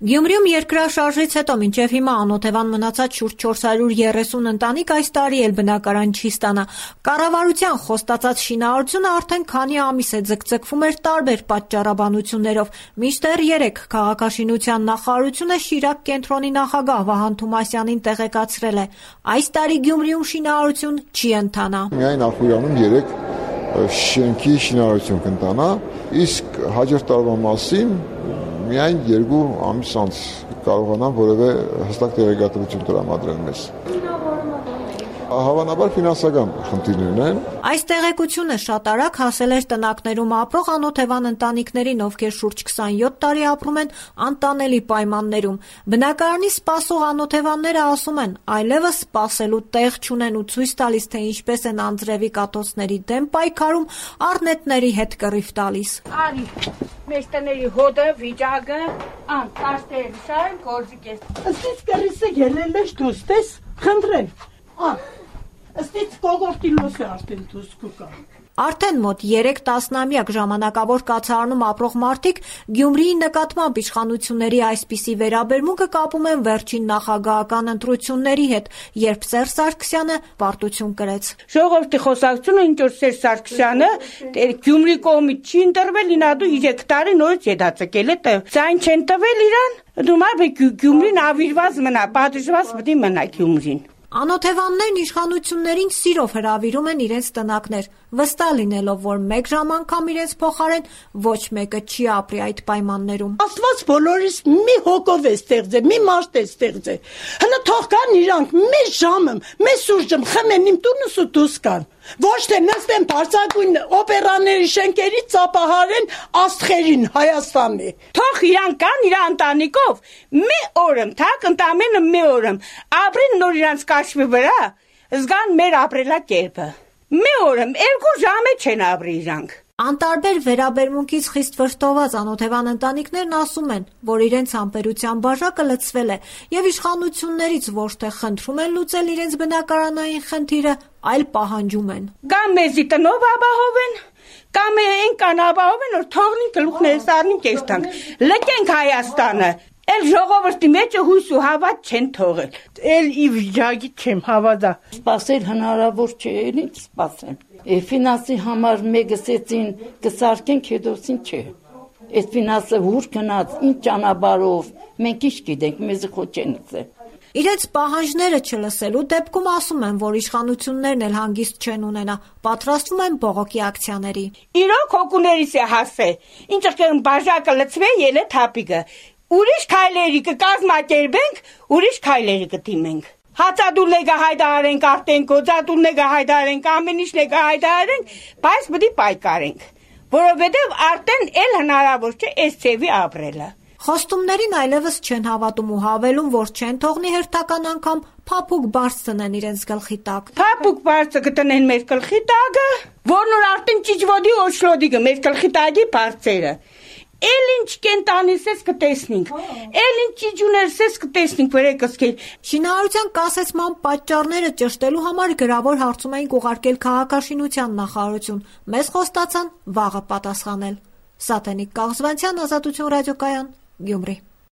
Գյումրիում երկրաշարժից հետո մինչև հիմա անօթևան մնացած շուրջ 430 ընտանիք այս տարի էլ բնակարան չի ստանա։ Կառավարության խոստացած շինարարությունը արդեն քանի ամիս է ձգձգվում էր տարբեր պատճառաբանություններով։ Մինչդեռ 3 քաղաքաշինության նախարարությունը Շիրակ կենտրոնի նախագահ Վահան Թումասյանին տեղեկացրել է. այս տարի Գյումրիում շինարարություն չի ընթանա։ Միայն Ախուրյանում 3 շենքի շինարարություն կընթանա, իսկ հաջորդ տարվա մասին միայն 2 ամիս անց կարողանան որևէ հստակ տեղեկատվություն տրամադրել մեզ։ Հավանաբար ֆինանսական խնդիրներ են։ Այս տեղեկությունը շատ արագ հասել էր տնակներում ապրող անօթևան ընտանիքներին, ովքեր շուրջ 27 տարի ապրում են անտանելի պայմաններում։ Բնակարանի սպասող անօթևանները ասում են, այլևս սպասելու տեղ չունեն ու ցույց տալիս, թե ինչպես են անձրևի կատոցների դեմ պայքարում, առնետների հետ կռիվ տալիս։ Արի, մեր տների հոդը, վիճակը, տաշտերը, շարեն գործիկ ես։ Ըստից կռիսը ելել ես դուս, տես, խնդրեմ։ Ըստից կողորտիլոս է արդեն դուս կուկա։ Արդեն մոտ 3 տասնամյակ ժամանակավոր կացարանում ապրող մարդիկ Գյումրիի նկատմամբ իշխանությունների այսպիսի վերաբերմունքը կապում են վերջին նախագահական ընտրությունների հետ, երբ Սերժ Սարգսյանը պարտություն կրեց։ Ժողովրդի խոսակցությունը ինչ որ Սերժ Սարգսյանը Գյումրի կողմից չի ընտրվել, ինադու 3 տարի նորից հետաձգել է, ցայն չեն տվել իրան, դու Գյումրին ավիրված մնա, պատժված պետք է մնա Գյումրին։ Անօթևաններն իշխանություններին սիրով հրավիրում են իրենց տնակներ, վստահ լինելով, որ մեկ ժամ անգամ իրենց փոխարեն ոչ մեկը չի ապրի այդ պայմաններում։ Աստված բոլորիս մի հոգով է ստեղծել, մի մարդ է ստեղծել։ Հələ թող կան իրանք մի ժամը, մի սուրճը խմեն իմ տունս ու դուս կան։ Ոչ թե նստեն բարձրագույն օպերաների շենքերի ծափահարեն աստղերին Հայաստանի։ Թող իրանք կան իր ընտանիքով, մի օրում, թակ ընդամենը մի օրում, ապրեն նոր իրանց կաշվի վրա, զգան մեր ապրելակերպը։ Մի օրում 2 ժամ չեն ապրի իրանք։ Անտարբեր վերաբերմունքից խիստ վշտոված անօթևան ընտանիքներն ասում են, որ իրենց համբերության բաժակը լցվել է եւ իշխանություններից ոչ թե խնդրում են լուծել իրենց բնակարանային խնդիրը, այլ պահանջում են։ Կամ մեզի տնով ապահովեն, կամ այնքան ապահովեն, որ թողնին գլուխներս առնին կեստանք, լքենք Հայաստանը։ Էլ ժողովրդի մեջ հույս ու հավատ չեն թողել։ Էլ ի վիճակի չեմ հավատա։ Սպասել հնարավոր չէ, ինչ սպասեմ։ Ֆինանսի համար մեգսեցին կսարքենք, հետոսին չէ։ Այդ ֆինանսը ուր գնաց, ինչ ճանապարհով, մենք ինչ գիտենք, մեզ խոչ են ցե։ Իրենց պահանջները չլսելու դեպքում ասում են, որ իշխանություններն էլ հանգիստ չեն ունենա, պատրաստվում են բողոքի ակցիաների։ Իրոք հոգուներիս է հասե, ինչ կան բաժակը լցվե ելե թափիկը։ Ուրիշ քայլերի կկազմակերպենք, ուրիշ քայլերի կդիմենք։ Հացադուլները հայտարարենք, արդեն գոձադուլները հայտարարենք, ամեն ինչը հայտարարենք, բայց պետք է պայքարենք, որովհետև արդեն էլ հնարավոր չէ այս ծևի ապրելը։ Խոստումներին այլևս չեն հավատում ու հավելում, որ չեն թողնի հերթական անգամ փափուկ բարձ տնեն իրենց գլխի տակ։ Փափուկ բարձը կտնեն մեր գլխի տակը, որն որ արդեն ճիճվոդի օչլոդիկը մեր գլխի տակի բարձերը։ Էլ ինչ կենտանիս ես կտեսնենք, էլ ինչ ճիճուներս ես կտեսնենք, վերեկսկել։ Շինարարության կասեցման պատճառները ճշտելու համար գրավոր հարցում էին ուղարկել քաղաքաշինության նախարարություն։ Մեզ խոստացան վաղը պատասխանել։ Սատենիկ Կաղզվանցյան, Ազատություն ռադիոկայան, Գյումրի։